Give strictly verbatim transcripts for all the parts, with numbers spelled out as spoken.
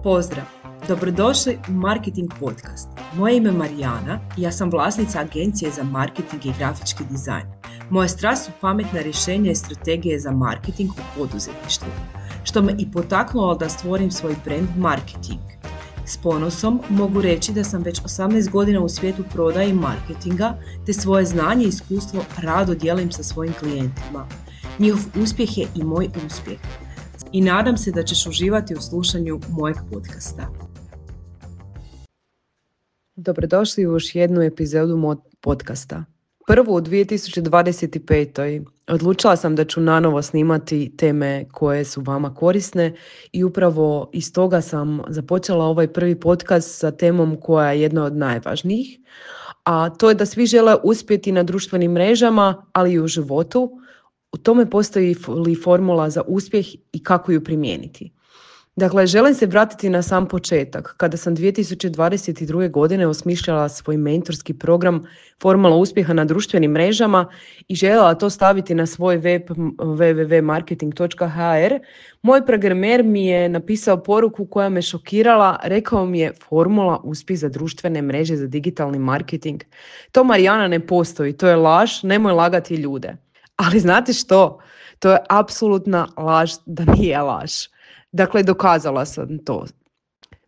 Pozdrav! Dobrodošli u Marketing Podcast. Moje ime je Marijana i ja sam vlasnica agencije za marketing i grafički dizajn. Moja strast su pametna rješenja i strategije za marketing u poduzetništvu, što me i potaknulo da stvorim svoj brand Marketing. S ponosom mogu reći da sam već osamnaest godina u svijetu prodaje i marketinga, te svoje znanje i iskustvo rado dijelim sa svojim klijentima. Njihov uspjeh je i moj uspjeh. I nadam se da ćeš uživati u slušanju mojeg podcasta. Dobrodošli u još jednu epizodu mojeg podcasta. Prvu u dvije tisuće dvadeset pet. Odlučila sam da ću nanovo snimati teme koje su vama korisne i upravo iz toga sam započela ovaj prvi podcast sa temom koja je jedna od najvažnijih, a to je da svi žele uspjeti na društvenim mrežama, ali i u životu. U tome postoji li formula za uspjeh i kako ju primijeniti. Dakle, želim se vratiti na sam početak, kada sam dvije tisuće dvadeset druge. godine osmišljala svoj mentorski program Formula uspjeha na društvenim mrežama i željela to staviti na svoj web w w w točka marketing točka h r. Moj programer mi je napisao poruku koja me šokirala, rekao mi je: formula uspjeh za društvene mreže za digitalni marketing. To, Marijana, ne postoji, to je laž, nemoj lagati ljude. Ali znate što? To je apsolutna laž da nije laž. Dakle, dokazala sam to.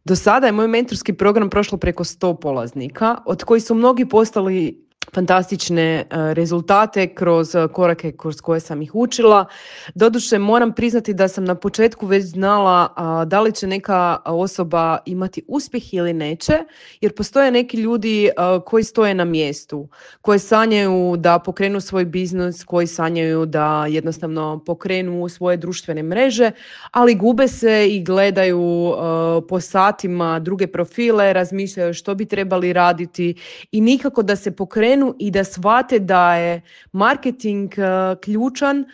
Do sada je moj mentorski program prošlo preko sto polaznika, od kojih su mnogi postali fantastične rezultate kroz korake kroz koje sam ih učila. Doduše, moram priznati da sam na početku već znala a, da li će neka osoba imati uspjeh ili neće, jer postoje neki ljudi a, koji stoje na mjestu, koji sanjaju da pokrenu svoj biznis, koji sanjaju da jednostavno pokrenu svoje društvene mreže, ali gube se i gledaju a, po satima druge profile, razmišljaju što bi trebali raditi i nikako da se pokrenu i da shvate da je marketing uh, ključan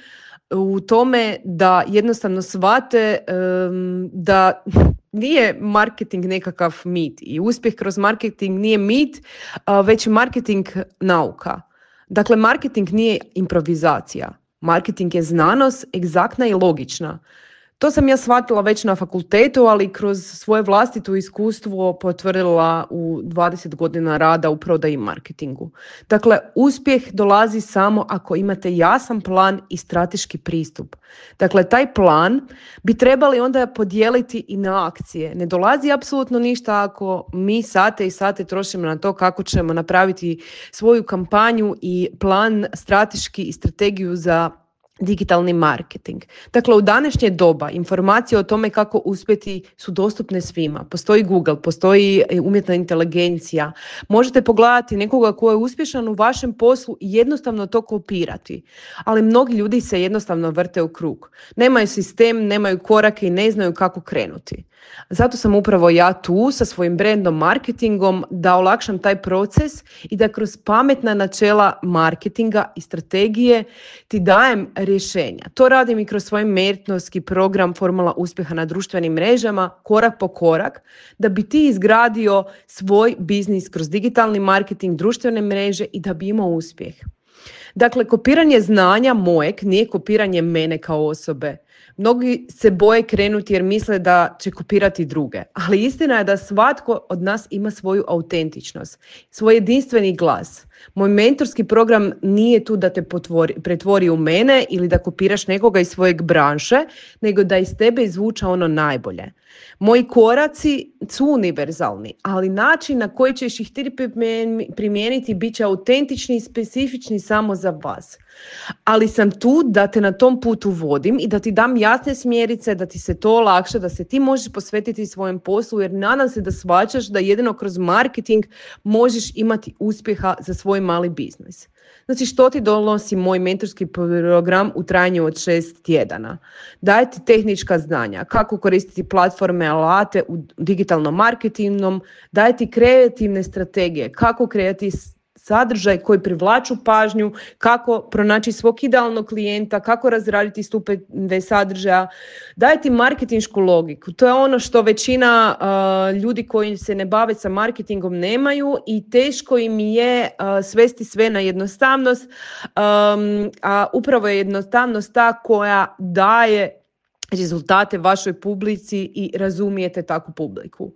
u tome da jednostavno shvate um, da nije marketing nekakav mit i uspjeh kroz marketing nije mit, uh, već marketing nauka. Dakle, marketing nije improvizacija. Marketing je znanost, egzaktna i logična. To sam ja shvatila već na fakultetu, ali kroz svoje vlastito iskustvo potvrdila u dvadeset godina rada u prodaji i marketingu. Dakle, uspjeh dolazi samo ako imate jasan plan i strateški pristup. Dakle, taj plan bi trebali onda podijeliti i na akcije. Ne dolazi apsolutno ništa ako mi sate i sate trošimo na to kako ćemo napraviti svoju kampanju i plan strateški i strategiju za digitalni marketing. Dakle, u današnje doba informacije o tome kako uspjeti su dostupne svima. Postoji Google, postoji umjetna inteligencija. Možete pogledati nekoga ko je uspješan u vašem poslu i jednostavno to kopirati. Ali mnogi ljudi se jednostavno vrte u krug. Nemaju sistem, nemaju korake i ne znaju kako krenuti. Zato sam upravo ja tu sa svojim brandom marketingom da olakšam taj proces i da kroz pametna načela marketinga i strategije ti dajem rješenja. To radim i kroz svoj mentorski program Formula uspjeha na društvenim mrežama, korak po korak, da bi ti izgradio svoj biznis kroz digitalni marketing, društvene mreže i da bi imao uspjeh. Dakle, kopiranje znanja mojeg nije kopiranje mene kao osobe. Mnogi se boje krenuti jer misle da će kopirati druge. Ali istina je da svatko od nas ima svoju autentičnost, svoj jedinstveni glas. Moj mentorski program nije tu da te potvori, pretvori u mene ili da kopiraš nekoga iz svojeg branše, nego da iz tebe izvuča ono najbolje. Moji koraci su univerzalni, ali način na koji ćeš ih ti primijeniti bit će autentični i specifični samo za vas. Ali sam tu da te na tom putu vodim i da ti dam jasne smjerice, da ti se to olakša, da se ti možeš posvetiti svojem poslu, jer nadam se da shvaćaš da jedino kroz marketing možeš imati uspjeha za svoj mali biznis. Znači, što ti donosi moj mentorski program u trajanju od šest tjedana? Daje ti tehnička znanja, kako koristiti platforme, alate u digitalnom marketingom, daje ti kreativne strategije, kako kreirati sadržaj koji privlaču pažnju, kako pronaći svog idealnog klijenta, kako razraditi stupove sadržaja. Daje ti marketinšku logiku. To je ono što većina uh, ljudi koji se ne bave sa marketingom nemaju i teško im je uh, svesti sve na jednostavnost, um, a upravo je jednostavnost ta koja daje rezultate vašoj publici i razumijete takvu publiku.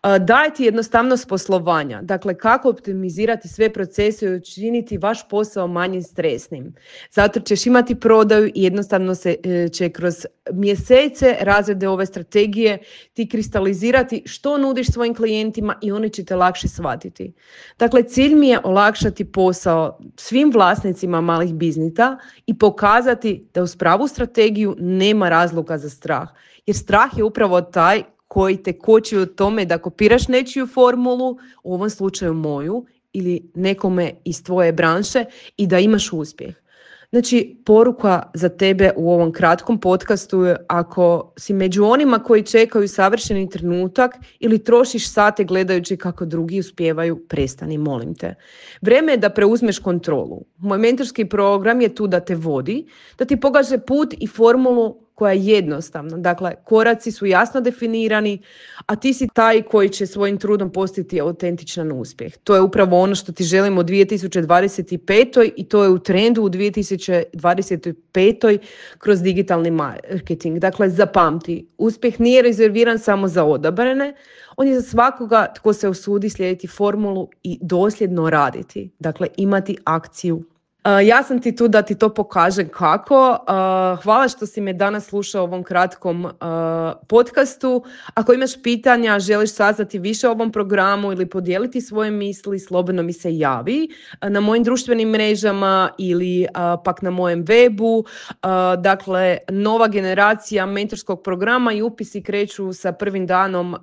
Dajte jednostavnost poslovanja, dakle kako optimizirati sve procese i učiniti vaš posao manje stresnim. Zato ćeš imati prodaju i jednostavno se će kroz mjesece razrede ove strategije ti kristalizirati što nudiš svojim klijentima i oni će te lakše shvatiti. Dakle, cilj mi je olakšati posao svim vlasnicima malih biznisa i pokazati da uz pravu strategiju nema razloga za strah. Jer strah je upravo taj koji te koči u tome da kopiraš nečiju formulu, u ovom slučaju moju, ili nekome iz tvoje branše i da imaš uspjeh. Znači, poruka za tebe u ovom kratkom podcastu je ako si među onima koji čekaju savršeni trenutak ili trošiš sate gledajući kako drugi uspijevaju, prestani, molim te. Vrijeme je da preuzmeš kontrolu. Moj mentorski program je tu da te vodi, da ti pokaže put i formulu koja je jednostavna. Dakle, koraci su jasno definirani, a ti si taj koji će svojim trudom postati autentičan uspjeh. To je upravo ono što ti želimo u dvije tisuće dvadeset pete. i to je u trendu u dvije tisuće dvadeset pete. kroz digitalni marketing. Dakle, zapamti, uspjeh nije rezerviran samo za odabrane, on je za svakoga tko se usudi slijediti formulu i dosljedno raditi. Dakle, imati akciju. Uh, ja sam ti tu da ti to pokažem kako. Uh, hvala što si me danas slušao u ovom kratkom uh, podcastu. Ako imaš pitanja, želiš saznati više o ovom programu ili podijeliti svoje misli, slobodno mi se javi uh, na mojim društvenim mrežama ili uh, pak na mojem webu. Uh, dakle, nova generacija mentorskog programa i upisi kreću sa prvim danom uh,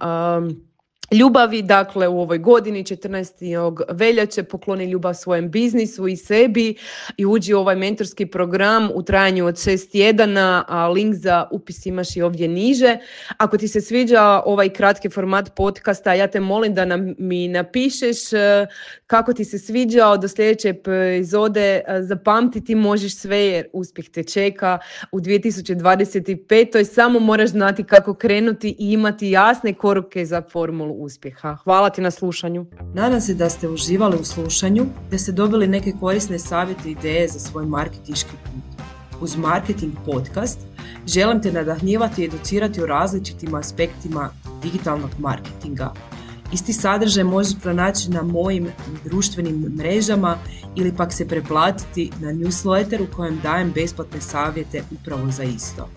ljubavi, dakle u ovoj godini četrnaestog veljače pokloni ljubav svojem biznisu i sebi i uđi u ovaj mentorski program u trajanju od šest tjedana, a link za upis imaš i ovdje niže. Ako ti se sviđa ovaj kratki format podcasta, ja te molim da nam, mi napišeš kako ti se sviđao. Do sljedeće epizode zapamtiti možeš sve jer uspjeh te čeka u dvije tisuće dvadeset pete. Samo moraš znati kako krenuti i imati jasne korake za formulu uspjeha. Hvala ti na slušanju. Nadam se da ste uživali u slušanju, da ste dobili neke korisne savjete i ideje za svoj marketinški put. Uz Marketing podcast želim te nadahnjivati i educirati o različitim aspektima digitalnog marketinga. Isti sadržaj možeš pronaći na mojim društvenim mrežama ili pak se preplatiti na newsletter u kojem dajem besplatne savjete upravo za isto.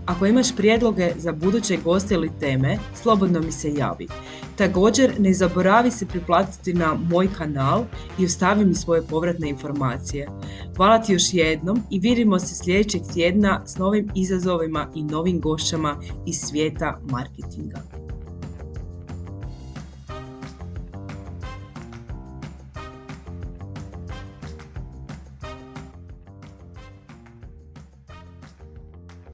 Ako imaš prijedloge za buduće goste ili teme, slobodno mi se javi. Također, ne zaboravi se priplatiti na moj kanal i ostavi mi svoje povratne informacije. Hvala ti još jednom i vidimo se sljedećeg tjedna s novim izazovima i novim gošćama iz svijeta marketinga.